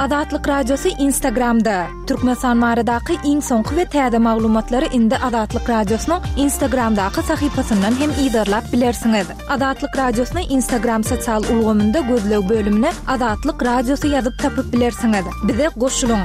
Azatlyk Radiosy Instagramda! Türkmenistan baradaky iň soňky we täze maglumatlary indi Azatlyk Radiosynyň Instagramdaky sahypasyndan hem yzarlap bilersiňiz. Azatlyk Radiosyny Instagram sosial ulgamynda gözleg bölümine Azatlyk Radiosy ýazyp tapyp bilersiňiz. Bize goşulyň!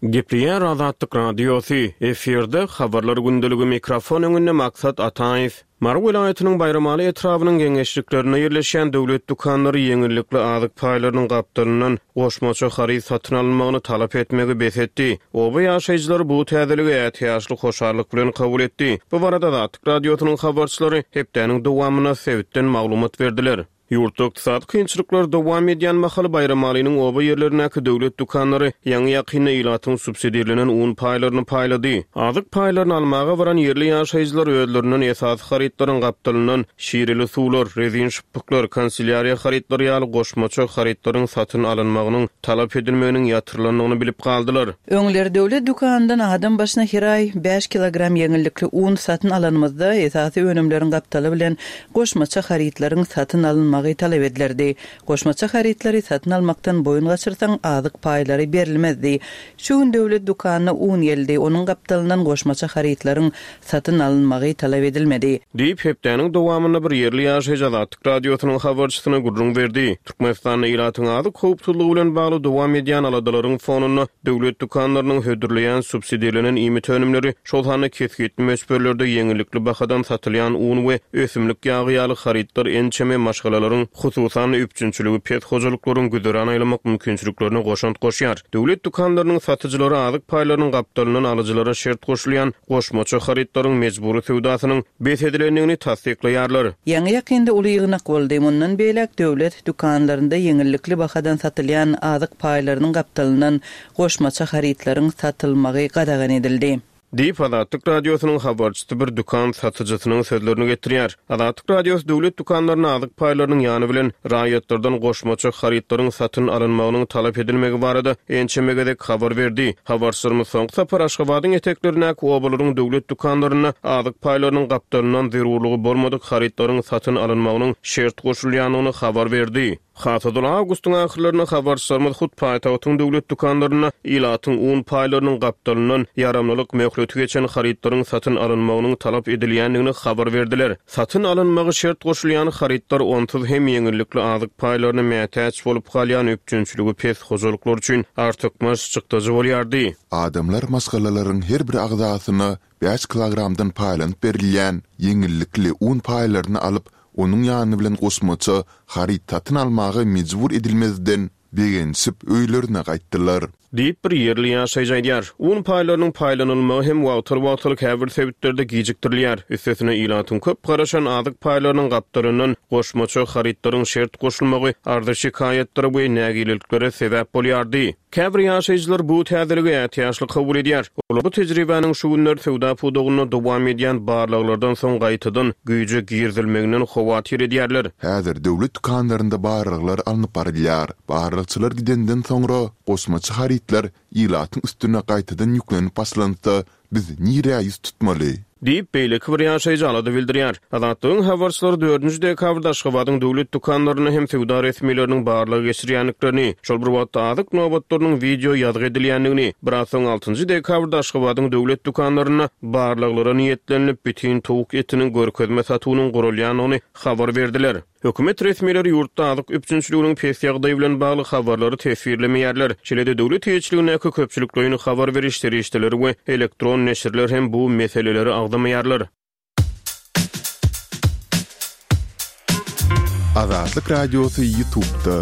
Gepleýär Azatlyk Radiosy, efirde Habarlar gündeligi mikrofon öňünde Maksat Ataýew. Mary welaýatynyň Baýramaly etrabynyň geňeşliklerinde ýerleşýän döwlet dükanlary ýeňillikli azyk paýlarynyň gapdalyndan goşmaça haryt satyn alynmagyny talap etmegi bes etdi. Oba ýaşaýjylary bu täzeligi ätiýaçly hoşallyk bilen kabul etdi. Bu barada Azatlyk Radiosynyň habarçylary hepdäniň dowamynda sebitden maglumat berdiler. Ýurtda ykdysady kynçylyklar dowam edýän mahaly Baýramalynyň oba ýerlerindäki döwlet dükanlary ýaňy-ýakynda ilatyň subsidirlenen un paýlaryny paýlady. Azyk paýlaryny almaga baran ýerli ýaşaýjylar özlerinden esasy harytlaryň gapdalyndan şireli suwlar, rezin şypbyklar, kanselýariýa harytlary ýaly goşmaça harytlaryň satyn alynmagynyň talap edilmeginiň ýatyrylandygyny bilip galdylar. Öňler döwlet dükanyndan adam başyna her aý bäş kilogram ýeňillikli un satyn alanymyzda, esasy önümleriň gapdaly bilen goşmaça harytlaryň satyn alynmagy talap edilerdi. Goşmaça harytlary satyn almakdan boýun gaçyrsaň, azyk paýlary berilmezdi. Şu gün döwlet dükanyna un geldi, onuň gapdalyndan goşmaça harytlaryň satyn alynmagy talap edilmedi. Diýip, hepdäniň dowamynda bir ýerli ýaşaýjy Azatlyk Radiosynyň habarçysyna gürrüň berdi. Türkmenistanda ilatyň azyk howpsuzlygy bilen bagly dowam edýän aladalaryň fonunda döwlet dükanlarynyň hödürleýän subsidirlenen iýmit önümleri, şol sanda kesgitli möçberlerde ýeňillikli bahadan satylýan un we ösümlik ýagy ýaly harytlar ençeme maşgalalaryň, hususan-da, üpjünçiligi pes hojalyklaryň güzeran aýlamak mümkinçiliklerine goşant goşýar. Döwlet dükanlarynyň satyjylary azyk paýlarynyň gapdalyndan alyjylara şert goşulýan goşmaça harytlaryň mejbury söwdasynyň bes edilendigini tassyklaýarlar. Ýaňy-ýakynda uly ýygnak boldy. Mundan beýläk döwlet dükanlarynda ýeňillikli bahadan satylýan azyk paýlarynyň gapdalyndan goşmaça harytlaryň satylmagy gadagan edildi. Diýip, Azatlyk Radiosynyň habarçysy bir dükan satyjysynyň sözlerini getirýär. Azatlyk Radiosy döwlet dükanlarynda azyk paýlarynyň ýany bilen raýatlardan goşmaça harytlaryň satyn alynmagynyň talap edilmegi barada ençeme gezek habar berdi. Habarçylarymyz soňky sapar Aşgabadyň eteklerindäki obalaryň döwlet dükanlarynda azyk paýlarynyň gapdalyndan zerurlygy bolmadyk harytlaryň satyn alynmagynyň şert goşulýandygyny habar berdi. Has ozal awgustyň ahyrlarynda habarçylarymyz hut paýtagtyň döwlet dükanlarynda ilatyň un paýlarynyň gapdalyndan ýaramlylyk möhleti geçen harytlaryň satyn alynmagynyň talap edilýändigini habar berdiler. Satyn alynmagy şert goşulýan harytlar onsuz hem ýeňillikli azyk paýlaryna mätäç bolup galýan üpjünçiligi pes hojalyklar üçin artykmaç çykdajy bolýardy. Adamlar maşgalalaryň her bir agzasyna bäş kilogramdan paýlanyp berilýän ýeňillikli un paýlaryny alyp, onuň ýany bilen goşmaça haryt satyn almaga mejbur edilmezden, begenişip öýlerine gaýtdylar. Diýip, bir ýerli ýaşaýjy aýdýar. Un paýlarynyň paýlanylmagy hem wagtal-wagtal käbir sebitlerde gijikdirilýär. Üstesine, ilatyň köp garaşan azyk paýlarynyň gapdalyndan goşmaça harytlaryň şert goşulmagy arza-şikaýatlara we nägileliklere sebäp bolýardy. Käbir ýaşaýjylar bu täzeligi ätiýaçly kabul edýär. Olar bu tejribäniň şu günler söwda pudagynda dowam edýän barlaglardan soň gaýtadan güýje girizilmeginden howatyr edýärler. Häzir döwlet dükanlarynda barlaglar alnyp barylýar. Barlagçylar gidenden soňra, goşmaça harytlar ilatyň üstüne gaýtadan ýüklenip başlansa, biz nirä ýüz tutmaly? Diýip, beýleki bir ýaşaýjy alada bildirýär. Azatlygyň habarçylary dördünji dekabrda Aşgabadyň döwlet dükanlarynda hem söwda resmileriniň barlag geçirýändiklerini, şol bir wagtda azyk nobatlarynyň wideo ýazgy edilýändigini, biraz soň altynjy dekabrda Aşgabadyň döwlet dükanlarynda barlaglara niýetlenilip, bitin towuk etiniň görkezme satuwynyň guralýandygyny habar berdiler. Hökümet resmileri ýurtda azyk üpjünçiliginiň pes ýagdaýy bilen bagly habarlary teswirlemeýärler. Şeýle-de döwlet eýeçiligindäki köpçülikleýin habar beriş serişdeleri we elektron neşirler hem bu meseleleri agzamaýarlar. Azatlyk Radiosy Ýutubda.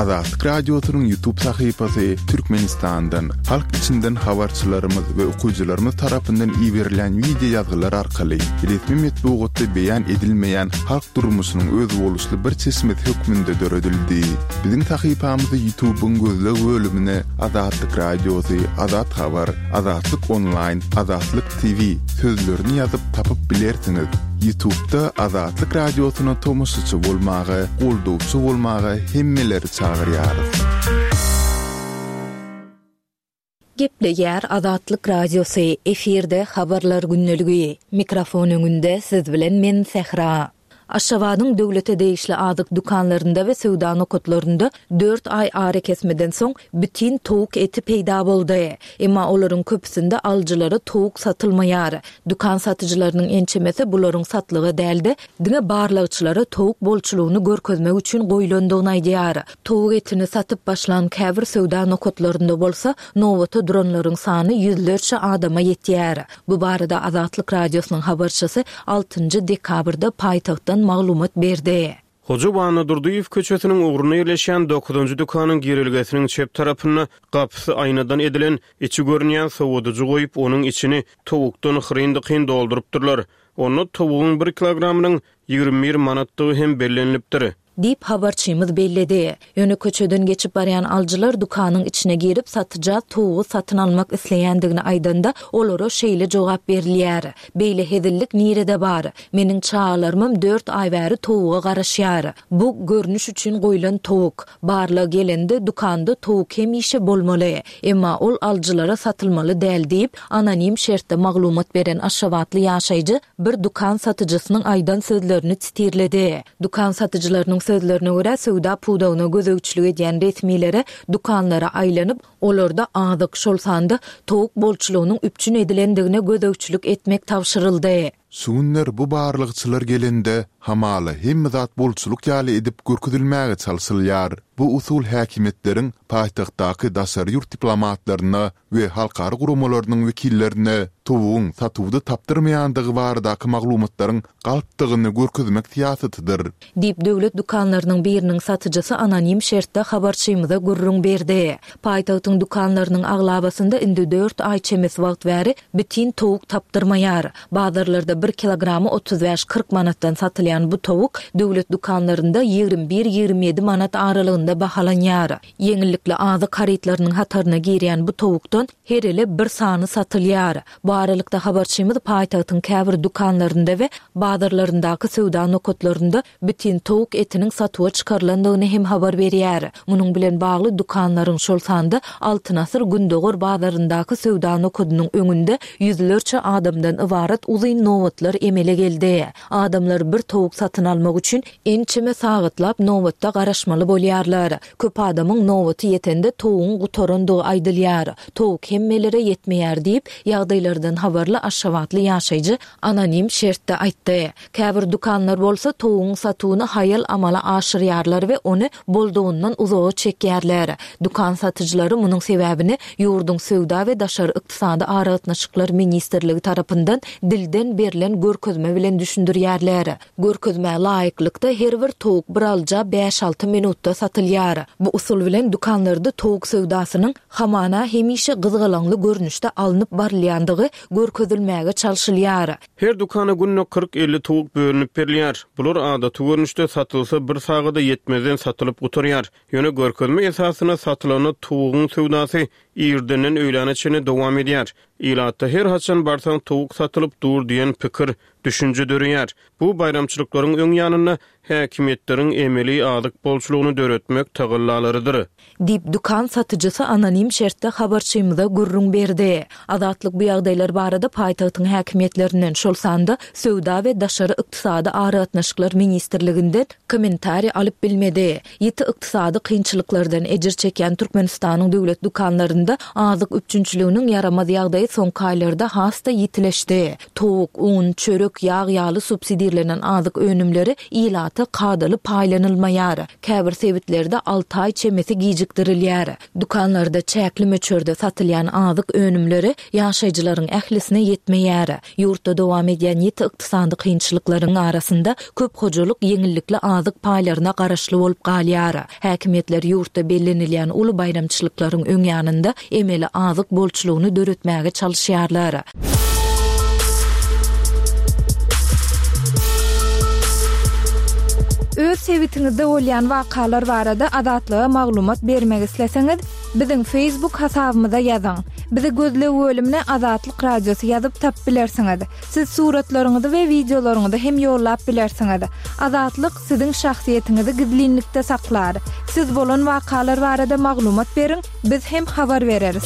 Azatlyk Radiosynyň Ýutub sahypasy Türkmenistandan, halk içinden habarçylarymyz we okyjylarymyz tarapyndan iberilýän wideo ýazgylar arkaly resmi metbugatda beýan edilmeýän halk durmuşynyň özboluşly bir çeşmesi hökmünde döredildi. Biziň sahypamyzy Ýutubyň gözleg bölümine Azatlyk Radiosy, Azat Habar, Azatlyk Onlaýn, Azatlyk TV sözlerini ýazyp tapyp bilersiňiz. Ýutubda Azatlyk Radiosyna tomaşaçy bolmaga, goldawçy bolmaga hemmeleri çagyrýarys. Gepleýär Azatlyk Radiosy, efirde Habarlar gündeligi. Mikrofon öňünde siz bilen men Sähra. Aşgabadyň döwlete degişli azyk dükanlarynda we söwda nokatlarynda dört aý arakesmeden soň bitin towuk eti peýda boldy. Emma olaryň köpüsinde alyjylara towuk satylmaýar. Dükan satyjylarynyň ençemesi bularyň satlyga däl-de, diňe barlagçylara towuk bolçulygyny görkezmek üçin goýlandygyny aýdýar. Towuk etini satyp başlan käbir söwda nokatlarynda bolsa, nobata duranlaryň sany ýüzlerçe adama ýetýär. Bu barada Azatlyk Radiosynyň habarçysy altynjy dekabrda paýtagtdan maglumat berdi. Hoja Annadurdyýew köçesiniň ugrunda ýerleşýän dokuzynjy dükanyň girelgesiniň çep tarapynda gapysy aýnadan edilen, içi görünýän sowadyjy goýup, onuň içini towukdan hyryn-dykyn doldurypdyrlar. Onda towugyň bir kilogramynyň 21 manatdygy hem bellenilipdir. Diýip, habarçymyz belledi. Ýöne köçeden geçip barýan alyjylar dükanyň içine girip, satyja towugy satyn almak isleýändigini aýdanda, olara şeýle jogap berilýär, Beýle hezillik nirede bar? Meniň çagalarymam dört aý bäri towuga garaşýar. Bu, görnüş üçin goýlan towuk. Barlag gelende, dükanda towuk hemişe bolmaly. Emma ol alyjylara satylmaly däl diýip, anonim şertde maglumat beren aşgabatly ýaşaýjy bir dükan satyjysynyň aýdan sözlerini titirledi. Dükan satyjylarynyň sözlerine görä, söwda pudagyna gözegçilik edýän resmilere dükanlara aýlanyp, olarda azyk, şol sanda towuk bolçulygynyň üpjün edilendigine gözegçilik etmek tabşyryldy. Şu günler bu barlagçylar gelende, hamala hemme zat bolçulyk ýaly edip görkezilmäge çalşylýar. Bu usul häkimiýetleriň paýtagtdaky daşary ýurt diplomatlaryna we halkara guramalarynyň wekillerine towugyň satuwda tapdyrmaýandygy baradaky maglumatlaryň galpdygyny görkezmek syýasatydyr. Diýip, döwlet dükanlarynyň biriniň satyjysy anonim şertde habarçymyza gürrüň berdi. Paýtagtyň dükanlarynyň aglabasynda indi dört aý çemesi wagt bäri bitin towuk tapdyrmaýar. Bazarlarda bir kilogramy 35-40 manatdan satylýan bu towuk döwlet dükanlarynda 21-27 manat aralygynda bahalanýar. Ýeňillikli azyk harytlarynyň hataryna girýän bu towukdan her ele bir sany satylýar. Bu aralykda, habarçymyz paýtagtyň käbir dükanlarynda we bazarlaryndaky söwda nokatlarynda bitin towuk etiniň satuwa çykarylandygyny hem habar berýär. Munuň bilen bagly dükanlaryň, şol sanda Altyn asyr Gündogar bazaryndaky söwda nokadynyň öňünde ýüzlerçe adamdan ybarat uzyn nobatlar emele geldi. Adamlar bir towuk satyn almak üçin ençeme sagatlap nobatda garaşmaly bolýarlar. Köp adamyň nobaty ýetende towugyň gutarandygy aýdylýar. Towuk hemmelere ýetmeýär diýip, ýagdaýlardan habarly aşgabatly ýaşaýjy anonim şertde aýtdy. Käbir dükanlar bolsa towugyň satuwyny haýal amala aşyrýarlar we ony boldugyndan uzaga çekýärler. Dükan satyjylary munuň sebäbini ýurduň Söwda we daşary ykdysady aragatnaşyklar ministrligi tarapyndan dilden berlen görkezme bilen düşündirýärler. Görkezmä laýyklykda, her bir towuk bir alyja bäş-alty minutda satylýar. Bu usul bilen dükanlarda towuk söwdasynyň hamana hemişe gyzgalaňly görnüşde alnyp barylýandygy görkezilmäge çalşylýar. Her dükana günde 40-50 towuk bölünip berilýär. Bular adaty görnüşde satylsa bir sagada ýetmezden satylyp gutarýar. Ýöne görkezme esasynda satylanda towugyň söwdasy irdenden öýläne çenli dowam edýär. Ilatda her haçan barsaň towuk satylyp dur diýen pikir, düşünje döreýär. Bu baýramçylyklaryň öň ýanynda häkimiýetleriň emeli azyk bolçulygyny döretmek tagallalarydyr. Diýip, dükan satyjysy anonim şertde habarçymyza gürrüň berdi. Azatlyk bu ýagdaýlar barada paýtagtyň häkimiýetlerinden, şol sanda Söwda we daşary ykdysady aragatnaşyklar ministrliginden kommentariý alyp bilmedi. Ýiti ykdysady kynçylyklardan ejir çekýän Türkmenistanyň döwlet dükanlarynda azyk üpjünçiliginiň ýaramaz ýagdaýy soňky aýlarda has-da ýitileşdi. Towuk, un, çörek, ýag ýaly subsidirlenen azyk önümleri ilata kadaly paýlanylmaýar. Käbir sebitlerde alty aý çemesi gijikdirilýär. Dükanlarda çäkli möçberde satylýan azyk önümleri ýaşaýjylaryň ählisine ýetmeýär. Ýurtda dowam edýän ýiti ykdysady kynçylyklaryň arasynda köp hojalyk ýeňillikli azyk paýlaryna garaşly bolup galýar. Häkimiýetler ýurtda bellenilýän uly baýramçylyklaryň öň ýanynda emeli azyk bolçulygyny döretmäge çalyşýarlar. Öz sebitiňizde bolýan wakalar barada Azatlyga maglumat bermek isleseňiz, biziň Facebook hasabymyza ýazyň. Bizi gözleg bölümine Azatlyk Radiosy ýazyp tapyp bilersiňiz. Siz suratlaryňyzy we wideolaryňyzy hem ýollap bilersiňiz. Azatlyk siziň şahsyýetiňizi gizlinlikde saklar. Siz bolan wakalar barada maglumat beriň, biz hem habar bereris.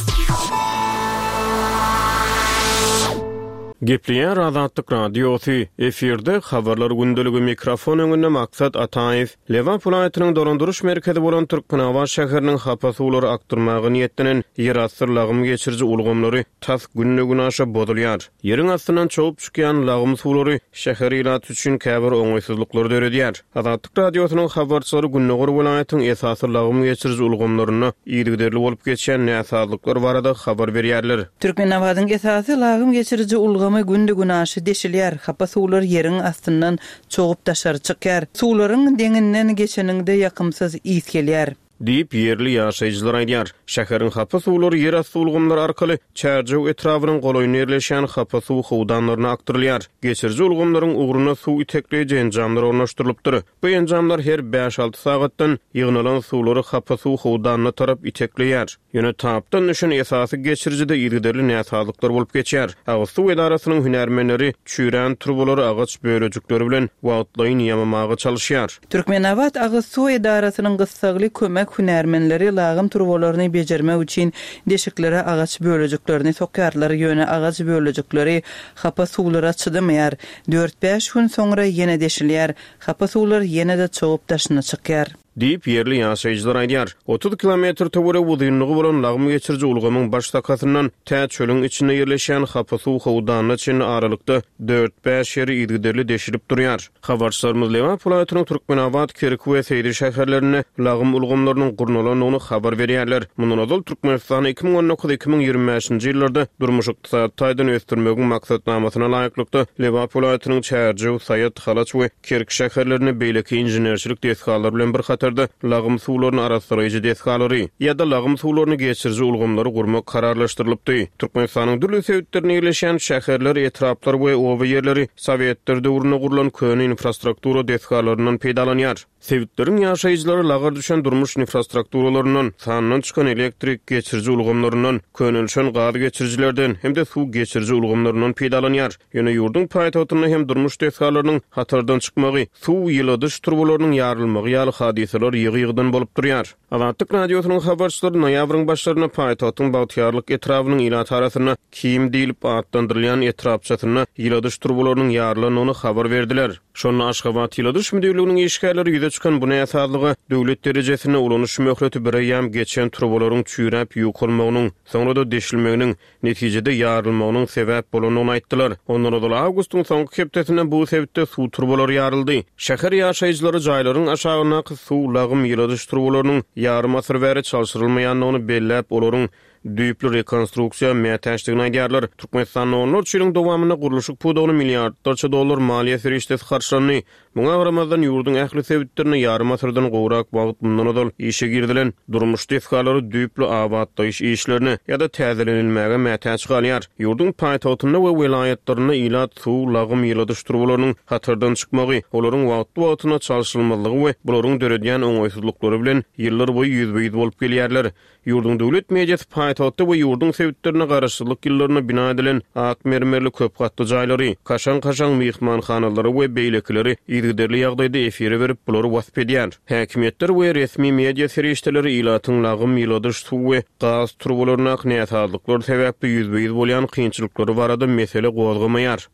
Gepleýär Azatlyk Radiosy, efirde Habarlar gündeligi mikrofon öňünde Maksat Ataýew. Lebap welaýatynyň dolandyryş merkezi bolan Türkmenabat şäheriniň hapa suwlary akdyrmaga niýetlenen ýerasty lagym geçiriji ulgamlary tas günde-günaşa bozulýar. Ýeriň astyndan çogup çykýan lagym suwlary şäher ilaty üçin käbir oňaýsyzlyklary döredýär. Azatlyk Radiosynyň habarçylary gündogar welaýatyň esasy lagym geçiriji ulgamlarynda yzygiderli bolup geçýän näsazlyklar barada habar berýärler. Türkmenabadyň esasy lagym geçiriji ulgamy günde-günaşa deşilýär, hapa suwlar ýeriň astyndan çogup daşary çykýar. Suwlaryň deňinden geçeniňde ýakymsyz ys gelýär. Diýip, ýerli ýaşaýjylar aýdýar. Şäheriň hapa suwlary ýerasty ulgamlar arkaly Çärjew etrabynyň golaýynda ýerleşýän hapa suw howdanlaryna akdyrylýar. Geçiriji ulgamlaryň ugruna suw itekleýji enjamlar ornaşdyrylypdyr. Bu enjamlar her bäş-alty sagatdan ýygnalan suwlary hapa suw howdanyna tarap itekleýär. Ýöne tapdan düşen esasy geçirijide yzygiderli näsazlyklar bolup geçýär. Agyz suw edarasynyň hünärmenleri çüýrän turbalary agaç bölejikleri bilen wagtlaýyn ýamamaga çalyşýar. Türkmenabat agyz suw edarasynyň gyssagly kömek hünärmenleri lagym turbalaryny bejermek üçin deşiklere agaç bölejiklerini sokýarlar, ýöne agaç bölejikleri hapa suwlara çydamaýar. Dört-bäş gün soňra ýene deşilýär. Hapa suwlar ýene-de çogup daşyna çykýar. Diýip, ýerli ýaşaýjylar aýdýar. 30 kilometr töweregi uzynlygy bolan lagym geçiriji ulgamyň baş sakasyndan tä çölüň içinde ýerleşýän hapa suw howdanyna çenli aralykda dört-bäş ýeri yzygiderli deşilip durýar. Habarçylarymyz Lebap welaýatynyň Türkmenabat, Kerki we Seýdi şäherlerinde lagym ulgamlarynyň gurnalandygyny habar berýärler. Mundan ozal, Türkmenistanda 2019, 2025-nji ýyllarda durmuş-ykdysady taýdan ösdürmegiň maksatnamasyna laýyklykda, Lebap welaýatynyň Çärjew, Saýat, Halaç we Kerki şäherlerinde beýleki inženerçilik desgalary bilen bir hatarda lagym suwlaryny arassalaýjy desgalary ýa-da lagym suwlaryny geçiriji ulgamlary gurmak kararlaşdyrylypdy. Türkmenistanyň dürli sebitlerinde ýerleşýän şäherler, etraplar we oba ýerleri sowetler döwründe gurlan köne infrastruktura desgalaryndan peýdalanýar. Sebitleriň ýaşaýjylary lagar düşen durmuş infrastrukturalaryndan, sandan çykan elektrik geçiriji ulgamlaryndan, könelişen gaz geçirijilerden hem-de suw geçiriji ulgamlaryndan peýdalanýar. Ýöne ýurduň paýtagtynda hem durmuş desgalarynyň hatardan çykmagy, suw, ýyladyş turbalarynyň ýarylmagy ýaly hadysalar ýygy-ýygydan bolup durýar. Azatlyk Radiosynyň habarçylary noýabryň başlarynda paýtagtyň Bagtyýarlyk etrabynyň ilat arasynda Kim diýlip atlandyrylýan etrapçasynda ýyladyş turbalarynyň ýarylandygyny habar berdiler. Şonda Aşgabat ýyladyş müdirliginiň işgärleri ýüze çykan bu näsazlyga döwlet derejesinde ulanyş möhleti bireýýäm geçen turbalaryň çüýräp ýukalmagynyň, soňra-da deşilmeginiň, netijede ýarylmagynyň sebäp bolandygyny aýtdylar. Ondan ozal awgustyň soňky hepdesinde bu sebitde suw turbalary ýaryldy. Şäher ýaşaýjylary jaýlaryň aşagyndaky suw, lagym, ýyladyş turbalarynyň ýarym asyr bäri çalşyrylmaýandygyny belläp, olaryň düýpli rekonstruksiýa mätäçdigini aýdýarlar. Türkmenistanda onlarça ýylyň dowamynda gurluşyk pudagyna milliardlarça dollar maliýe serişdesi harçlandy. Muňa garamazdan, ýurduň ähli sebitlerinde ýarym asyrdan gowrak wagt mundan ozal işe girizilen durmuş desgalary düýpli abatlaýyş işlerine ýa-da täzelenilmäge mätäç galýar. Ýurduň paýtagtynda we welaýatlarynda ilat suw, lagym, ýyladyş turbalarynyň hatardan çykmagy, olaryň wagtly-wagtynda çalşyrylmazlygy we bularyň döredýän oňaýsyzlyklary bilen ýyllarboýy ýüzbe-ýüz bolup gelýärler. Ýurduň döwlet mediasy paýtagtda we ýurduň sebitlerinde garaşsyzlyk ýyllarynda bina edilen ak mermerli köp gatly jaýlary, kaşaň-kaşaň myhmanhanalary we beýlekileri yzygiderli ýagdaýda efire berip, bulary wasp edýär. Häkimiýetler we resmi media serişdeleri ilatyň lagym, ýyladyş, suw we gaz turbalaryndaky näsazlyklar sebäpli ýüzbe-ýüz bolýan kynçylyklary barada mesele gozgamaýar.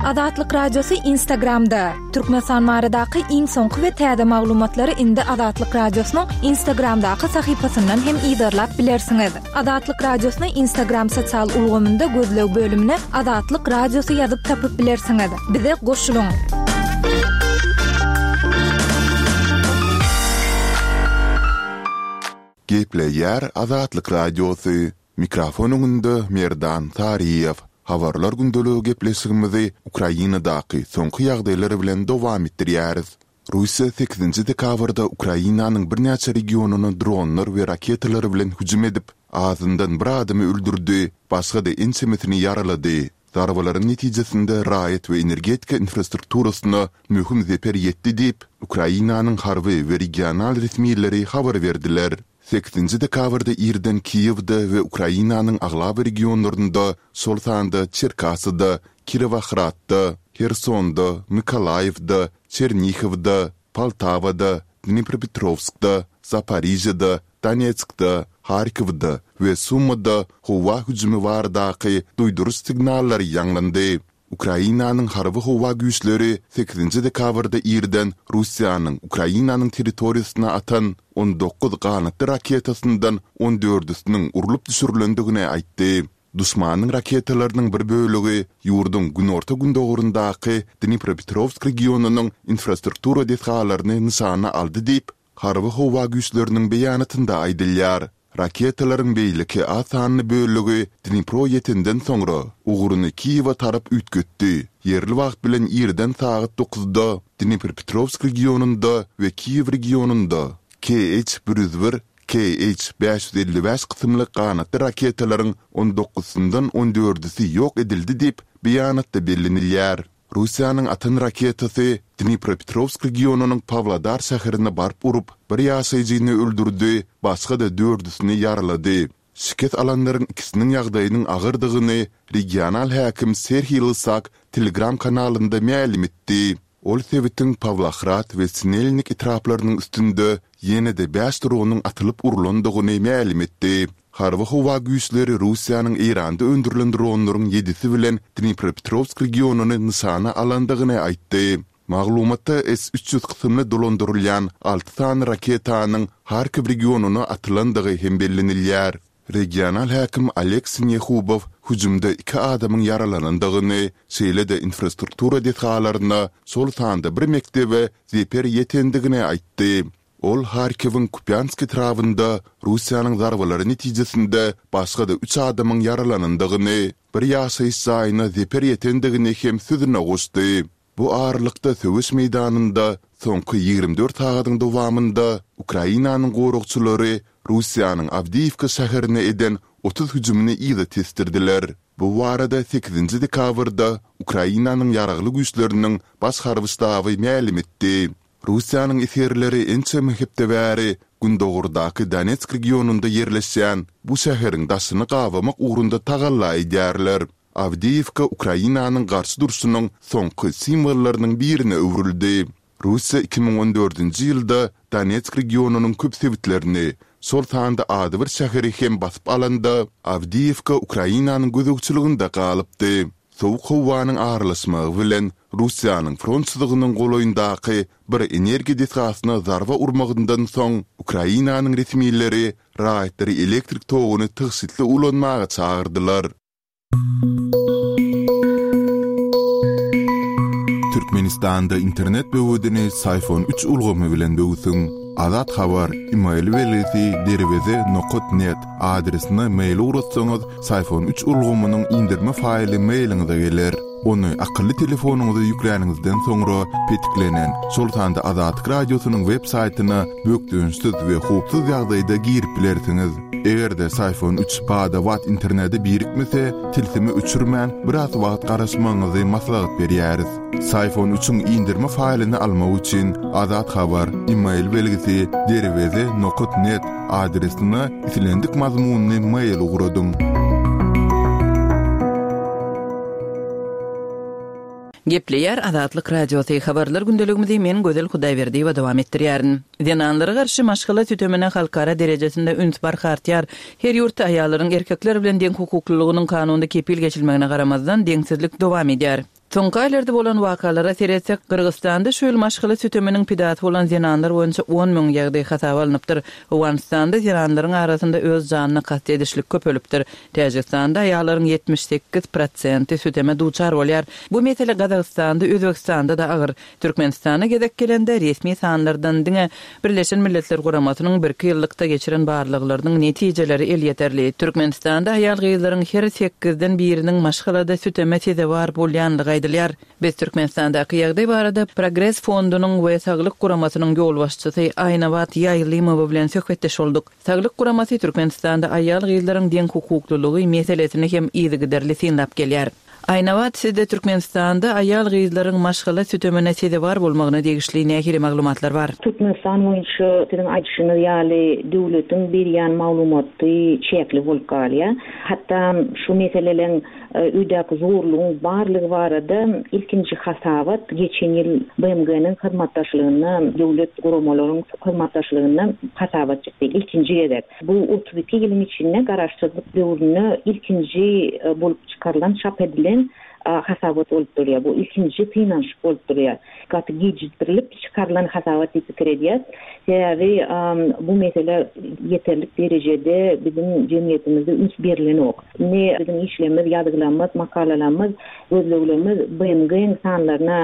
Azatlyk Radiosy Instagramda, Türkmenistan baradaky iň soňky we täze maglumatlary indi Azatlyk Radiosynyň Instagramdaky sahypasyndan hem yzarlap bilersiňiz. Azatlyk Radiosyny Instagram sosial ulgamynda gözleg bölümine Azatlyk Radiosy ýazyp tapyp bilersiňiz. Bize goşulyň! Gepleýär Azatlyk Radiosy, Mikrofon öňünde Merdan Saryýew. Habarlar gündeligi gepleşigimizi Ukrainadaky soňky ýagdaýlar bilen dowam etdirýäris. Russiýa sekizinji dekabrda Ukrainanyň birnäçe regionyna dronlar we raketalar bilen hüjüm edip, azyndan bir adamy öldürdi, başga-da ençemesini ýaralady. Zarbalaryň netijesinde raýat we energetika infrastrukturasyna möhüm zeper ýetdi diýip, Ukrainanyň harby we regional resmileri habar berdiler. Sekizinji dekabrda irden Kiýewde we Ukrainanyň aglaba regionlarynda, şol sanda Çerkasyda, Kirowohradda, Hersonda, Mykolaýiwde, Çernihowda, Poltawada, Dnipropetrowskda, Zaporižýada, Donetskde, Harkowda we. we Sumyda howa hüjümi baradaky duýduryş signallary ýaňlandy. Ukrainanyň harby-howa güýçleri sekizinji dekabrda irden Russiýanyň Ukrainanyň territoriýasyna atan 19 ganatly raketasyndan on dördüsiniň urlup düşürilendigini aýtdy. Duşmanyň raketalarynyň bir bölegi ýurduň günorta-gündogaryndaky Dnipropetrowsk regionynyň infrastruktura desgalaryny nyşana aldy diýip, Harby-howa güýçleriniň beýanatynda aýdylýar. Raketalaryň beýleki az sanly bölegi Dnipro ýetenden soňra, ugruny Kiýewe tarap üýtgetdi. Ýerli wagt bilen irden sagat dokuzda Dnipropetrowsk regionynda we Kiýew regionynda KH 101, KH 555 kysymly ganatly raketalaryň on dokuzsyndan on dördüsi ýok edildi diýip, beýanatda bellenilýär. Russiýanyň atan raketasy Dnipropetrowsk regionynyň Pawlodar şäherine baryp urup, bir ýaşaýjyny öldürdi, başga-da dördüsini ýaralady. Şikes alanlaryň ikisiniň ýagdaýynyň agyrdygyny regional häkim Serhiý Lysak Telegram kanalynda mälim etdi. Ol sebitiň Pawlohrad we Sinelnik etraplarynyň üstünde ýene-de bäş dronyň atylyp urlandygyny mälim etdi. Harby-howa güýçleri Russiýanyň Eýranda öndürilen dronlaryň ýedisi bilen Dnipropetrowsk regionyny nyşana alandygyny aýtdy. Maglumatda S 300 kysymly dolandyrylýan alty sany raketanyň Harkiw regionyna atylandygy hem bellenilýär. Regional häkim Oleg Sinehubow hüjümde iki adamyň ýaralanandygyny, şeýle-de infrastruktura desgalaryna, şol sanda bir mekdebe zeper ýetendigini aýtdy. Ol Harkiwiň Kupýansk etrabynda Russiýanyň zarbalary netijesinde başga-da üç adamyň ýaralanandygyny, bir ýaşaýyş jaýyna zeper ýetendigini hem sözüne goşdy. Bu aralykda söweş meýdanynda soňky 24 sagadyň dowamynda Ukrainanyň goragçylary Russiýanyň Awdiýiwka şäherine eden 30 hüjümini yza tesdirdiler. Bu barada sekizinji dekabrda Ukrainanyň Ýaragly Güýçleriniň Baş harby ştaby mälim etdi. Russiýanyň esgerleri ençeme hepde bäri gündogardaky Donetsk regionynda ýerleşýän bu şäheriň daşyny gabamak ugrunda tagalla edýärler. Awdiýewka Ukrainanyň garşy durşunyň soňky simwollarynyň birine öwrüldi. Russiýa 2014-nji ýylda Donetsk regionynyň köp sebitlerini, şol sanda adybir şäheri hem basyp alanda, Awdiýewka Ukrainanyň gözegçiliginde galypdy. Sowuk howanyň aralaşmagy bilen Russiýanyň front çyzygynyň golaýyndaky bir energiýa desgasyna zarba urmagyndan soň, Ukrainanyň resmileri raýatlary elektrik toguny tygşytly ulanmaga çagyrdylar. Türkmenistanda internet böwedini Syfon üç ulgamy bilen böwsüň. Azat Habar, email belgisi derweze nokat net adresine mail ugratsaňyz, Syfon üç ulgamynyň inderme faýly mailiňize geler. Ony akylly telefonyňyza ýükläniňizden soňra petiklenen, şol sanda Azatlyk Radiosynyň web saýtyna bökdençsiz we howpsuz ýagdaýda girip bilersiňiz. Eger-de Syfon üç bada-bat internete birikmese, tilsimi öçürmän, biraz wagt garaşmagyňyzy maslahat berýäris. Syfon üçiň inderme faýlyny almak üçin Azat Habar, email belgisi derweze nokat net adresine islendik mazmunly mail ugradyň. Gepleýär Azatlyk Radiosy, Habarlar gündeligimizi men Gözel Hudaýberdiýewa dowam etdirýärin. Zenanlara garşy maşgala sütemine halkara derejesinde üns barha artýar. Her ýurtda aýallaryň erkekler bilen deňhukuklylygynyň kanunda kepil geçilmegine garamazdan, deňsizlik dowam edýär. Soňky aýlarda bolan wakalara seretsek, Gyrgyzystanda şu ýyl maşgala süteminiň pidasy bolan zenanlar boýunça 10 müň ýagdaý hasaba alnypdyr. Owganystanda zenanlaryň arasynda öz janyna kast edişlik köpelipdir. Täjigistanda aýallaryň 78 prosenti süteme duçar bolýar. Bu mesele Gazagystanda, Özbegistanda-da agyr. Türkmenistana gezek gelende, resmi sanlardan diňe Birleşen Milletler Guramasynyň birki ýyllykda geçiren barlaglarynyň netijeleri elýeterli. Türkmenistanda aýal-gyzlaryň her sekizden biriniň maşgalada süteme sezewar bolýanlygy aýdylýar. Biz Türkmenistandaky ýagdaý barada Progres fondunyň we Saglyk guramasynyň ýolbaşçysy Aýnabat Ýaýlymowa bilen söhbetdeş bolduk. Saglyk guramasy Türkmenistanda aýal-gyzlaryň deňhukuklylygy meselesini hem yzygiderli synlap gelýär. Aýnabat, sizde Türkmenistanda aýal-gyzlaryň maşgala sütemine sezewar bolmagyna degişli nähili maglumatlar bar? Türkmenistan boýunça siziň aýdyşyňyz ýaly döwletiň berýän maglumaty çäkli bolup galýar. Hatda şu meseleleň öýdäki zorlugyň barlygy barada ilkinji hasabat geçen ýyl BMG-niň hyzmatdaşlygynda, döwlet guramalaryň hyzmatdaşlygynda hasabat çykdy ilkinji gezek. Bu 32 ýylyň içinde garaşsyzlyk döwründe ilkinji bolup çykarylan, çap edilen hasabat bolup durýar. Bu ilkinji synanyşyk bolup durýar. Gaty gijikdirilip çykarylan hasabat diýip pikir edýäs. Sebäbi bu meselä ýeterlik derejede biziň jemgyýetimizde üns berilenok. Indi biziň işlerimiz, ýazgylarymyz, makalalarymyz, gözleglerimiz BMG-niň sanlaryna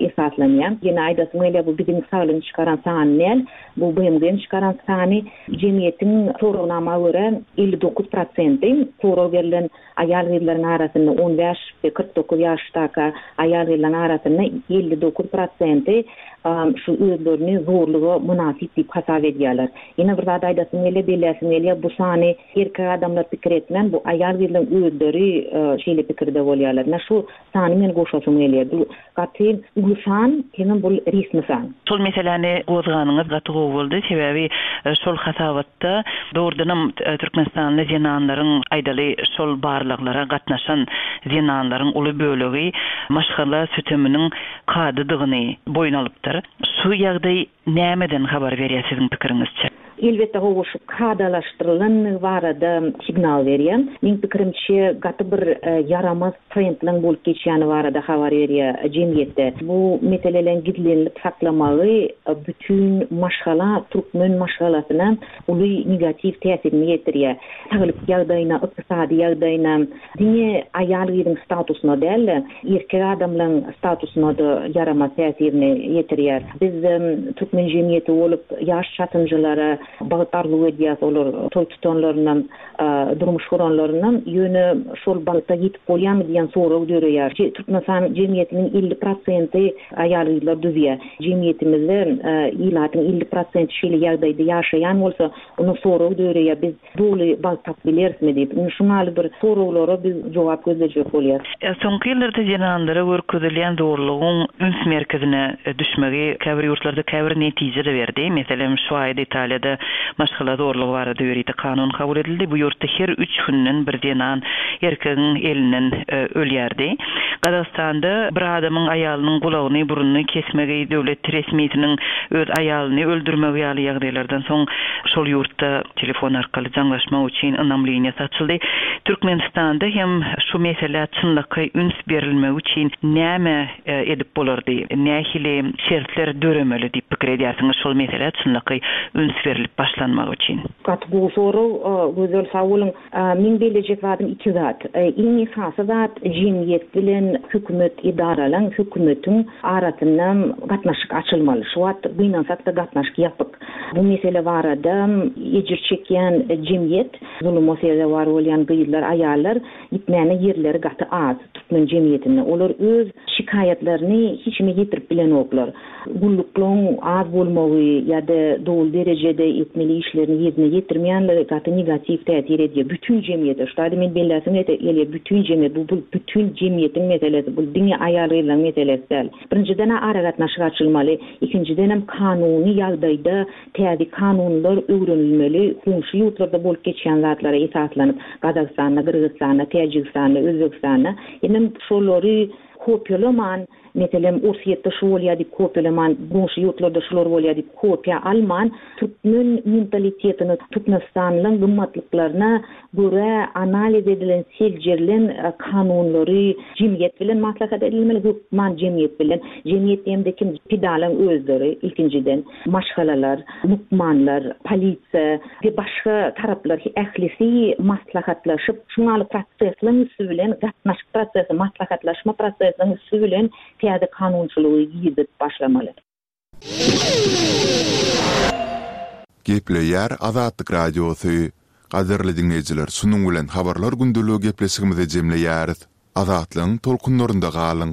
esaslanýar. Ýene aýdasym gelýär, bu biziň saglygyň çykaran sany däl. Bu BMG-niň çykaran sany jemgyýetiň soragnama görä 59 prosenti sorag berlen aýal-gyzlaryň arasynda 15 we 49 ýaşdaka aýal-gyzlaryň arasynda 59 prosenti şu özlerini zorluga mynasyp diýip hasap edýärler. Ýene bir zat aýdasym gelýär, belläsim gelýär, bu sany erkek adamlar pikir etmän, bu aýal-gyzlaryň özleri şeýle pikirde bolýarlar. Ine şu sany men goşasym gelýär. Bu Gaty uly san, hemem bul resmi san. Şol meseläni gozganyňyz gaty gowy boldy. Sebäbi şol hasabatda dogrudanam türkmenistanly zenanlaryň, aýdaly, şol barlaglara gatnaşan zenanlaryň uly bölegi maşgala süteminiň kadadygyny boýun alypdyr. Şu ýagdaý Nämeden habar berýär siziň pikiriňizçe? Elbetde hawa şu kadalaşdyrylandygy barada signal berýär. Meň pikirimçe gaty bir ýaramaz trendleň bolup geçýäni barada habar berýär jemgyýetde. Bu meseleleň gizlenilip saklamagy bütin maşgala türkmen maşgalasyna uly negatiw täsirini ýetirýär. Saglyk ýagdaýyna, ykdysady ýagdaýyna, Diňe aýal-gyzyň statusyna däl-de, erkek adamlaryň statusyna-da ýaramaz täsirini ýetirýär. Biz türkmen jemgyýeti bolup, ýaş çatynjylara bagt arzuw edýäs, olar toý tutanlaryndan, durmuş guranlaryndan, ýöne şol bagta ýetip bolýarmy diýen sorag döreýär. Türkmenistan jemgyýetiniň 50 prosenti aýal-gyzlar düzýär. Jemgyýetimizde ilatyň 50 prosenti şeýle ýagdaýda ýaşaýan bolsa, onda sorag döreýär, biz Doly bagt tapyp bilerismi diýip, indi şuň ýaly bir soraglara biz jogap gözlejek bolýas. Soňky ýyllarda zenanlara görkezilýän zorlugyň üns merkezine düşmegi käbir ýurtlarda käbir netije-de berdi. Meselem, şu aýda Italiýada maşgala zorlugy barada ýörite kanun kabul edildi. Bu ýurtda her üç günden bir zenan erkegiň elinden ölýärdi. Gazagystanda bir adamyň aýalynyň gulagyny, burnuny kesmegi, döwlet resmisiniň öz aýalyny öldürmegi ýaly ýagdaýlardan soň şol ýurtda telefon arkaly jaňlaşmak üçin ynam liniýasy açyldy. Türkmenistanda hem şu meselä çynlakaý üns berilmegi üçin näme edip bolardy, nähili şertler döremeli diýip pikir edýärsiňiz şol meselä çynlakaý üns berlip başlanmagy üçin? Gaty gowy sorag, Gözel sag boluň. Meň bellejek zadym iki zat. Iň esasy zat jemgyýet bilen hökümet edaralaň, hökümetiň arasynda gatnaşyk açylmaly. Şu wagt gynansak-da gatnaşyk ýapyk. Bu mesele barada ejir çekýän jemgyýet, zuluma sezewar bolýan gyzlar, aýallar gitmäne ýerleri gaty az türkmen jemgyýetinde. Olar öz şikaýatlaryny hiç kime ýetirip bilenoklar. Gulluklaryň az bolmagy ýa-da doly derejede etmeli işlerini ýerine ýetirmeýänligi gaty negatiw täsir edýär bütin jemgyýete. Şu taýda men belläsim gelýär, bütin jemgyýet, bu bütin jemgyýetiň meselesi, bu diňe aýal-gyzlaryň meselesi däl. Birinjiden-ä aragatnaşyk açylmaly, ikinjidenem kanuny ýagdaýda täze kanunlar öwrenilmeli, goňşy ýurtlarda bolup geçýän zatlara esaslanyp, Gazagystanda, Gyrgyzystanda, Täjigistanda, Özbegistanda, hemem şolary kopiýalaman, Meselem, Orsýetde şu bolýar diýip kopiýalaman, goňşy ýurtlarda şular bolýar diýip kopiýa alman, türkmen mentalitetine, türkmenistanlyň gymmatlyklaryna görä analiz edilen, seljerilen kanunlary jemgyýet bilen maslahat edilmeli, hökman jemgyýet bilen. Jemgyýet diýemde kim? Pidalaň özleri ilkinjiden, maşgalalar, lukmanlar, polisiýa we başga taraplar ählisi maslahatlaşyp, şuň ýaly prosesleriň üsti bilen, gatnaşyk prosesi, maslahatlaşma prosesiniň üsti bilen täze kanunçylygy girizip başlamaly. Gepleýär Azatlyk Radiosy. Gadyrly diňleýjiler şunuň bilen Habarlar gündeligi gepleşigimizi jemleýäris. Azatlygyň tolkunlarynda galyň!